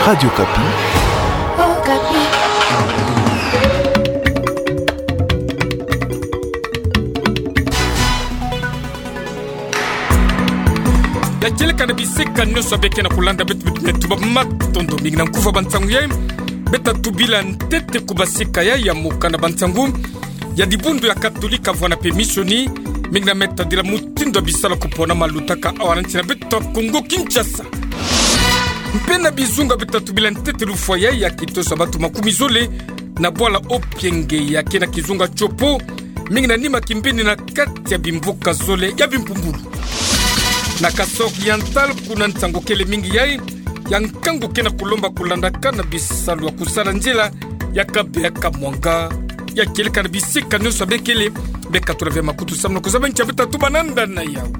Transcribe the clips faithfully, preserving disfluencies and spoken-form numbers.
Radio Okapi. Okapi. Ya kieleka na bisika nyonso beke na kulanda beto, beto, beto ba matondo mingi na nkufi ya bansangu yai. Beta tubila ntete ku basika yai ya mokanda bansangu ya dibundu ya Katolika vwanda pe misioni, mingi na me tadila mutindu ya bisalu ya kuponama lutaka awa na nsi na beto Kongo Kinshasa. Mpe na bizunga beta tubila ntete lufwa yai ya kitosa bantu makumi zole na bwala Opienge ya ke na kizunga Tshopo, mingi na nima kimbini na kati ya bimvuka zole ya bimpumbulu. Na Kasaï Oriental kuna nsangu kele mingi yai, ya nkangu ke na kulomba kulandaka na bisalu ya kusala nzila ya Kabeya-Kamwanga. Ya kieleka na bisika nyonso bekele, beka tula ve makutu samu na kuzaba nki ya beta tuba nanda na yau.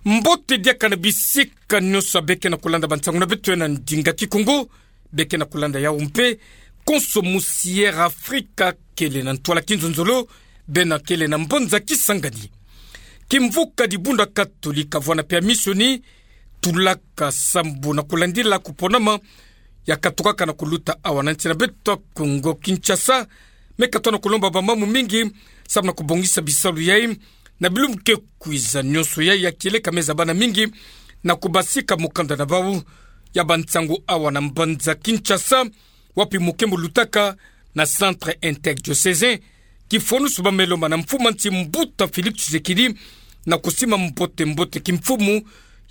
Mbote diaka na bisika nyonso beke na kulanda bansangu na beto ya na ndinga Kikongo, beke na kulanda yau mpe. Konso musi Air Africa kele na ntwala kinzonzolo, bena kele na mbanza Kisangani. Kimvuka dibundu ya Katolika vwanda pe ya misioni, tulaka sambu na kulandila kuponama ya katukaka na kuluta awa na nsi na beto Kongo Kinshasa, me katwa na kulomba bamama mingi samu na kubongisa bisalu yai na bilumbu ke kwiza nyonso yai. Ya kieleka me zabana mingi na kubasika mukanda na bau ya bansangu awa na mbanza Kinshasa, wapi mukembo lutaka na Centre Interdiocésain, kifwanusu ba me lomba na mfumu a nsi Mbuta Félix Tshisekedi na kusima mbote mbote kimfumu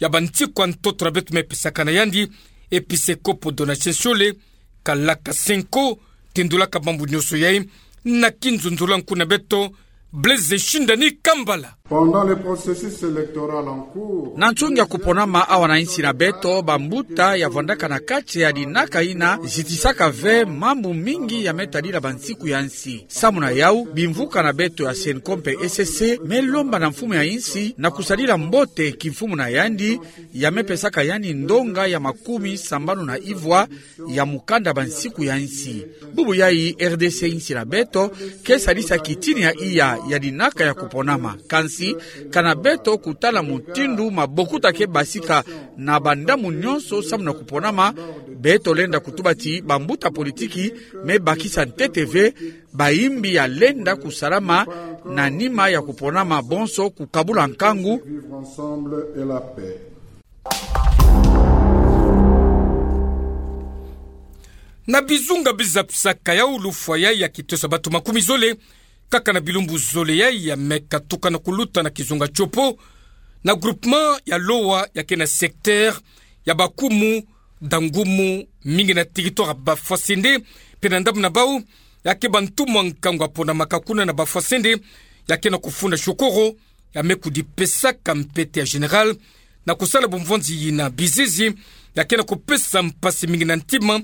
ya bansiku ya ntoto na beto me pesaka na yandi, Episekopo Donatien Schiole, kalaka senko, tindulaka mambu nyonso yai na kinzonzolo ya nkundi na beto Blaise Shindani Kambala. Pendant le processus électoral en cours, na nsungi ya kuponama awa na nsi na beto, bambuta ya vwandaka na kati ya dinaka ina zitisaka ve mambu mingi ya me tadila bansiku ya nsi. Samu na yau, bimvuka na beto ya CENCO mpe ECC me lomba na mfumu ya nsi na kusadila mbote kimfumu na yandi, ya me pesaka yandi ndonga ya makumi sambanu na ivwa ya mukanda bansiku ya nsi. Bubu yai, R D C, nsi na beto, ke sadisa kitini ya iya ya dinaka ya kuponama. Kansi, kana beto kutala mutindu mabokuta ke basika na bandambu nyonso samu na kuponama, beto lenda kutuba ti bambuta politiki me bakisa ntete ve bayimbi ya lenda kusalama na nima ya kuponama, bonso kukabula nkangu. Vivre ensemble et la paix. Na bizunga bizapisaka yau, lufwa yai ya kitosa bantu makumi zole, kaka na bilumbu zole yai, ya me katuka na kuluta na kizunga Tshopo, na groupement ya Lowa ya ke na secteur ya Bakumu, Dangumu, mingi na territoire ya Bafwasende, mpe na ndambu na bau, ya ke bantu mwa nkangu ya ponamaka kuna na Bafwasende, ya ke na kufunda shokoro, ya me kudipesaka mpete ya général, na kusala bumvwanzi yina bizizi, ya ke na kupesa mpasi mingi na ntima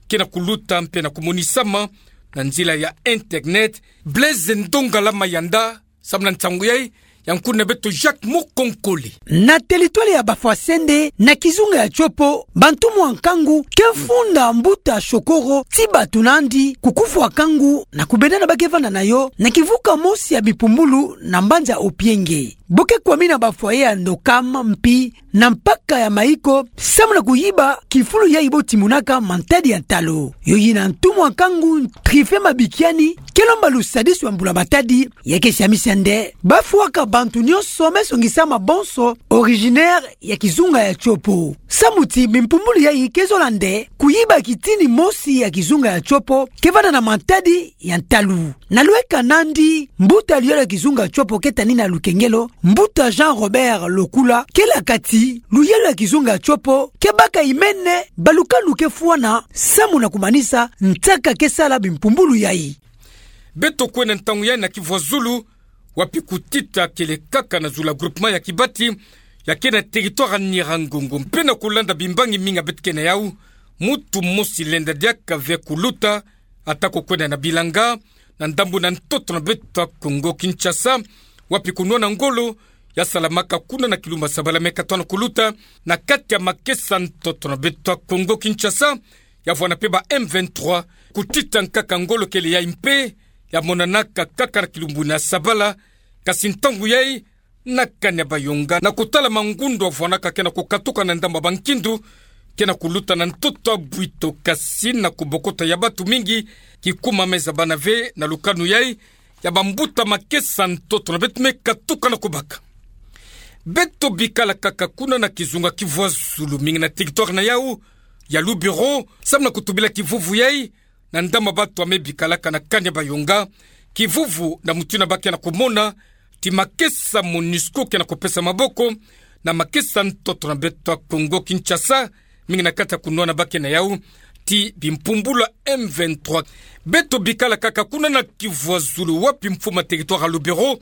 ke na kuluta mpe na kumonisama na nzila ya internet. Blaise Ndongala Mayanda, samu na nsangu yai, ya nkundi na beto Jacques Mukonkole. Na territoire ya Bafwasende, na kizunga ya Tshopo, bantu mwa nkangu ke funda mbuta shokoro ti bato nandi, kukufwa kangu na kubenda na ba ke vanda na yo na kivuka mosi ya bipumbulu na mbanza Opienge. Bo ke kwamina ba foyer ya Ndokam mpi na mpaka ya Maiko, samu na kuyiba kifulu yai bo timonaka mantadi ya ntalu. Yo yina ntu mwa nkangu Trife Mabikiani ke lomba lusadisu ya mbula matadi, ya ke siamisa nde ba fwaka bantu nyonso me songisama bonso originaire ya kizunga ya Tshopo. Samu ti bimpumbulu yai ke zola nde kuyiba kitini mosi ya kizunga ya Tshopo ke vanda na mantadi ya ntalu. Na lweka nandi, mbuta luyalo ya kizunga Tshopo ke tanina lukengelo, mbuta Jean Robert Lokula, ke laka ti luyalo ya kizunga Tshopo ke baka imene, balukalu ke fwana, samu na kumanisa nsaka ke sala bimpumbulu yai. Beto kwenda ntangu yai na Kivuazulu, wapi kutita kele kaka na zulu ya groupement ya Kibati, ya ke na territoire ya Nyiragongo, mpe na kulanda bimbangi mingi ya beto ke na yau, muntu mosi lenda diaka ve kuluta, ata ko kwenda na bilanga, na ndambu na ntoto na beto ya Kongo Kinshasa, wapi kunwana ngolo ya salamaka kuna na kilumbu ya Sabala me katwa na kuluta na kati ya makesa ntoto na beto ya Kongo Kinshasa, ya vwanda mpe ba M vingt-trois, kutita nkaka ngolo kele yai mpe ya monanaka kaka na kilumbu na Sabala, kasi ntangu yai na Kanyabayonga, na kutala mangundu avwanaka ke na kukatuka na ndambu ya bankindu ke na kuluta na ntoto ya Bwito, kasi na kubokota ya batu mingi kikumameza bana ve na lukanu yai ya bambuta makesa ntoto na beto me katuka na kubaka. Beto bikala kaka kuna na kizunga Kivu ya Zulu, mingi na territoire na yau ya Lubero, samu na kutubila kivuvu yai na ndambu ya batu ya me bikalaka na Kanyabayonga, kivuvu na mutindu ya ba ke na kumona ti makesa MONUSCO ke na kupesa maboko na makesa ntoto na beto ya Kongo Kinshasa, mingi na kati ya kunwana ba ke na yau ti bimpumbulu ya M vingt-trois. Beto bikala kaka kuna na Kivu ya Zulu, wapi mfumu ya territoire ya Lubero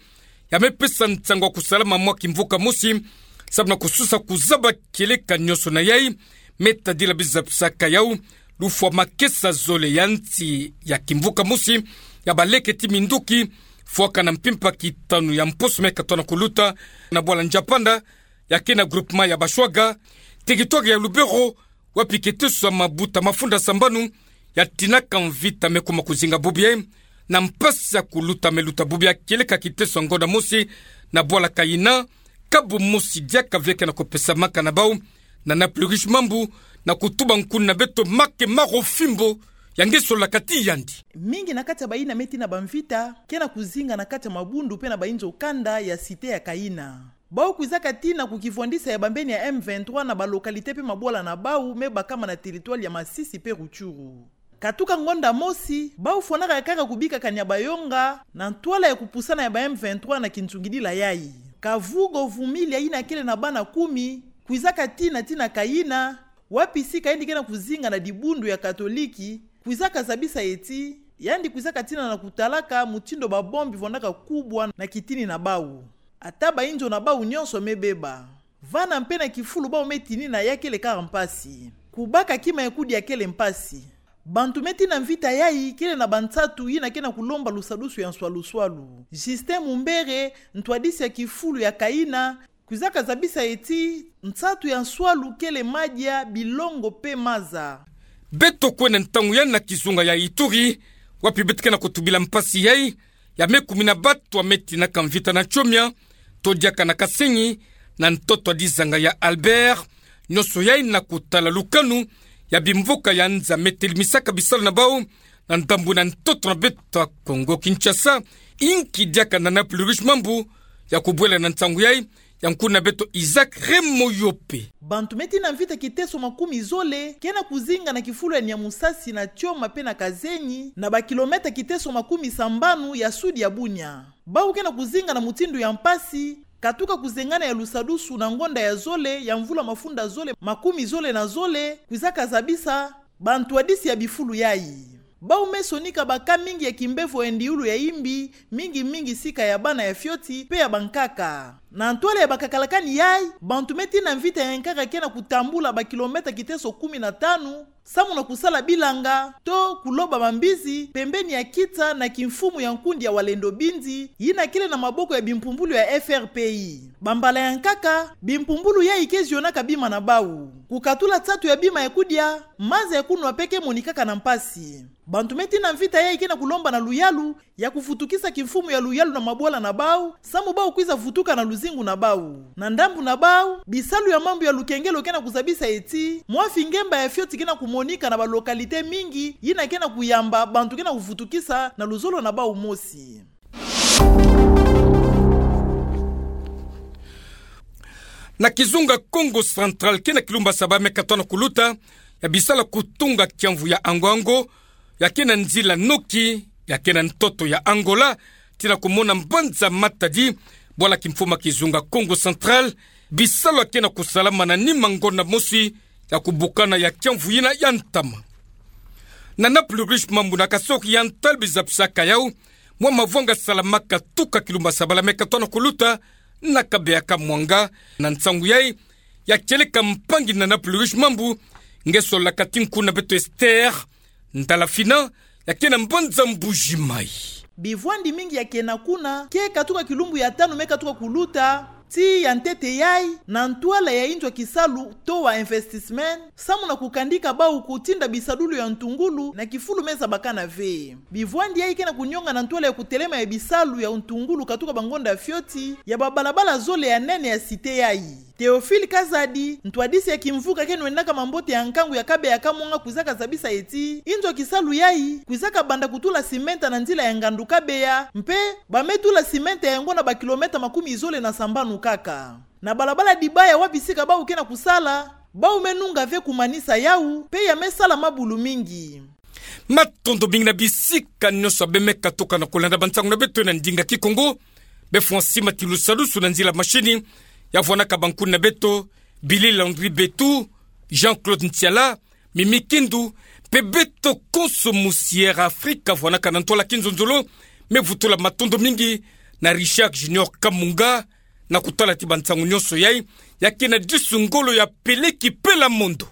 ya me pesa nsangu ya kusalama mwa kimvuka mosi, samu na kususa kuzaba kieleka nyonso na yai, me tadila biza pisaka yau lufwa makesa zole ya nsi ya kimvuka mosi ya baleke ti minduki, fwaka na mpimpa kitanu ya mposo me katoa na kuluta na bwala Nzapanda, ya ke na groupement ya Bashwaga, territoire ya Lubero, wapi kiteso ya mabuta mafunda sambanu ya tinaka mvita me kuma kuzinga bubu yai, na mpasi ya kuluta me luta bubu yai kieleka kiteso ya ngonda mosi na bwala Kaina, kabu mosi diaka ve ke na kupesamaka na bau na Nana Plurish Mambu, na kutuba nkuna beto Marc Marofimbo, ya nge solaka ti yandi. Mingi na kati ya bayina me tina bamvita ke na kuzinga na kati ya mabundu pe na bainzo kanda ya cité ya Kaina. Bau kwizaka tina ku kivwandisa ya bambeni ya M vingt-trois na ba localité pe mabwala na bau me bakama na territoire ya Masisi pe Rutshuru. Katuka ngonda mosi, bau fwanaka kaka kubika Kanyabayonga na ntwala ya kupusana ya ba M vingt-trois na kinzungidila yai. Kavugo Vumilia, yina kele na bana kumi, kwizaka tina tina Kaina, wapi sika yandi ke na kuzinga na dibundu ya Katoliki, kwizaka zabisa ye ti yandi kwizaka tina na kutalaka mutindu ba bombe bifwanaka kubwa na kitini na bau. Ata bainzo na bau nyonso me beba. Vana mpe na kifulu bau me tinina ya kele kaka mpasi. Kubaka kima ya kudia kele mpasi. Bantu me tina mvita yai kele na bansatu yina ke na kulomba lusadusu ya nswaluswalu. Justin Mumbere, ntwadisi ya kifulu ya Kaina, kwizaka zabisa ye ti nsatu ya nswalu kele madia, bilongo pe maza. Beto kwenda ntangu yai na kizunga ya Ituri, wapi beto ke na kutubila mpasi yai ya me kumi na batu ya me tinaka mvita na Tchomia, to diaka na Kasenyi, na ntoto ya dizanga ya Albert, nyonso yai na kutala lukanu ya bimvuka ya nza me telimisaka bisalu na bau na ndambu na ntoto na beto ya Kongo Kinshasa. Inki diaka Nana Plurish Mambu ya kubwela na nsangu yai, ya nkuna beto Isaac Remoyope. Bantu me tina mvita kiteso makumi zole ke na kuzinga na kifulu ya Nyamusasi, na Tchoma pe na Kasenyi, na ba kilomètre kiteso makumi sambanu ya sud ya Bunia. Bau ke na kuzinga na mutindu ya mpasi, katuka kuzengana ya lusadusu na ngonda ya zole ya mvula mafunda zole makumi zole na zole, kwizaka zabisa bantwadisi ya bifulu yai. Bau me sonika ba cas mingi ya kimbevo ya ndiulu ya imbi, mingi mingi sika ya bana ya fioti pe ya bankaka. Na ntwala ya bakakalakani yai, bantu me tina mvita ya nkaka ke na kutambula ba kilomètre kiteso kumi na tanu, samu na kusala bilanga, to kuloba mambizi, pembeni ya kita na kimfumu ya nkundi ya Wazalendo Bindi, yina kele na maboko ya bimpumbulu ya F R P I. Bambala ya nkaka, bimpumbulu yai ke zionaka bima na bau. Kukatula nsatu ya bima ya kudia, maza ya kunwa pe ke monikaka na mpasi. Bantu me tina mvita yai ke na kulomba na luyalu ya kuvutukisa kimfumu ya luyalu na mabwala na bau, samu bau kwiza vutuka na luzingu na bau. Na ndambu na bau, bisalu ya mambu ya lukengelo ke na kuzabisa ye ti, mwa fingemba ya fioti ke na kumonika na ba localité mingi, yina ke na kuyamba bantu ke na kuvutukisa na luzolo na bau mosi. Na kizunga Kongo Central, ke na kilumbu ya saba me katoa na kuluta, ya bisala kutunga kiamvu ya Angoango, ya ke na nzila noki, ya ke na ntoto ya Angola, tina kumona mbanza Matadi, bwala kimfumu ya kizunga Kongo Central, bisalu ya ke na kusalama na nima ngonda mosi, ya kubukana ya kiamvu yina ya ntama. Nana Plurish Mambu na kasoki ya ntwala biza pisaka yau, mwa mavwanga salamaka tuka kilumbu ya sabala me katoa na kuluta, na kabeya ka mwanga, na nsangu yai, ya kieleka mpangi na Nana Plurish Mambu, nge solaka ti nkuna beto Esther Ndalafina, ya ke na mbanza Mbuji Mayi. Bivwandi mingi ya ke na kuna, ke katuka kilumbu ya tanu me katuka kuluta, Tii ya ntete yayi, na ntwala ya inzo ya kisalu Towa Investissement, samu na kukandika bau kutinda bisalulu ya ntungulu na kifulu me zabakana ve. Bivwandi yayi ke na kunionga na ntwala ya kutelema ya bisalu ya ntungulu katuka bangonda fioti ya babalabala zole ya nene ya cité yayi. Théophile Kazadi, ntwadisi ya kimvuka ke nwendaka mambote ya nkangu ya Kabeya-Kamwanga, kwizaka zabisa ti inzo ya kisalu yayi kwizaka banda kutula simenta na nzila ya ngandu Kabeya, mpe ba me tula simenta yango na bakilometa makumi zole na sambanu kaka. Na balabala Dibaya wapi sika bau ke na kusala, bau me nunga ve kumanisa yau, mpe ya me sala mabulu mingi. Matondo mingi na bisika nyonso abe me katuka na kulanda bansangu na beto na ndinga Kikongo. Befwani matilusalusu na nzila mashini ya vwanaka bankuni na beto, Billy Landry Betu, Jean-Claude Ntiala, Mimi Kindu, mpe beto konso mu Sierra Africa vwanaka na ntwala kinzonzolo. Me vutula matondo mingi na Richard Junior Kamunga na kutala ti bansangu nyonso yayi, ya ke na disu ngolo ya Peleki Pela Mondo.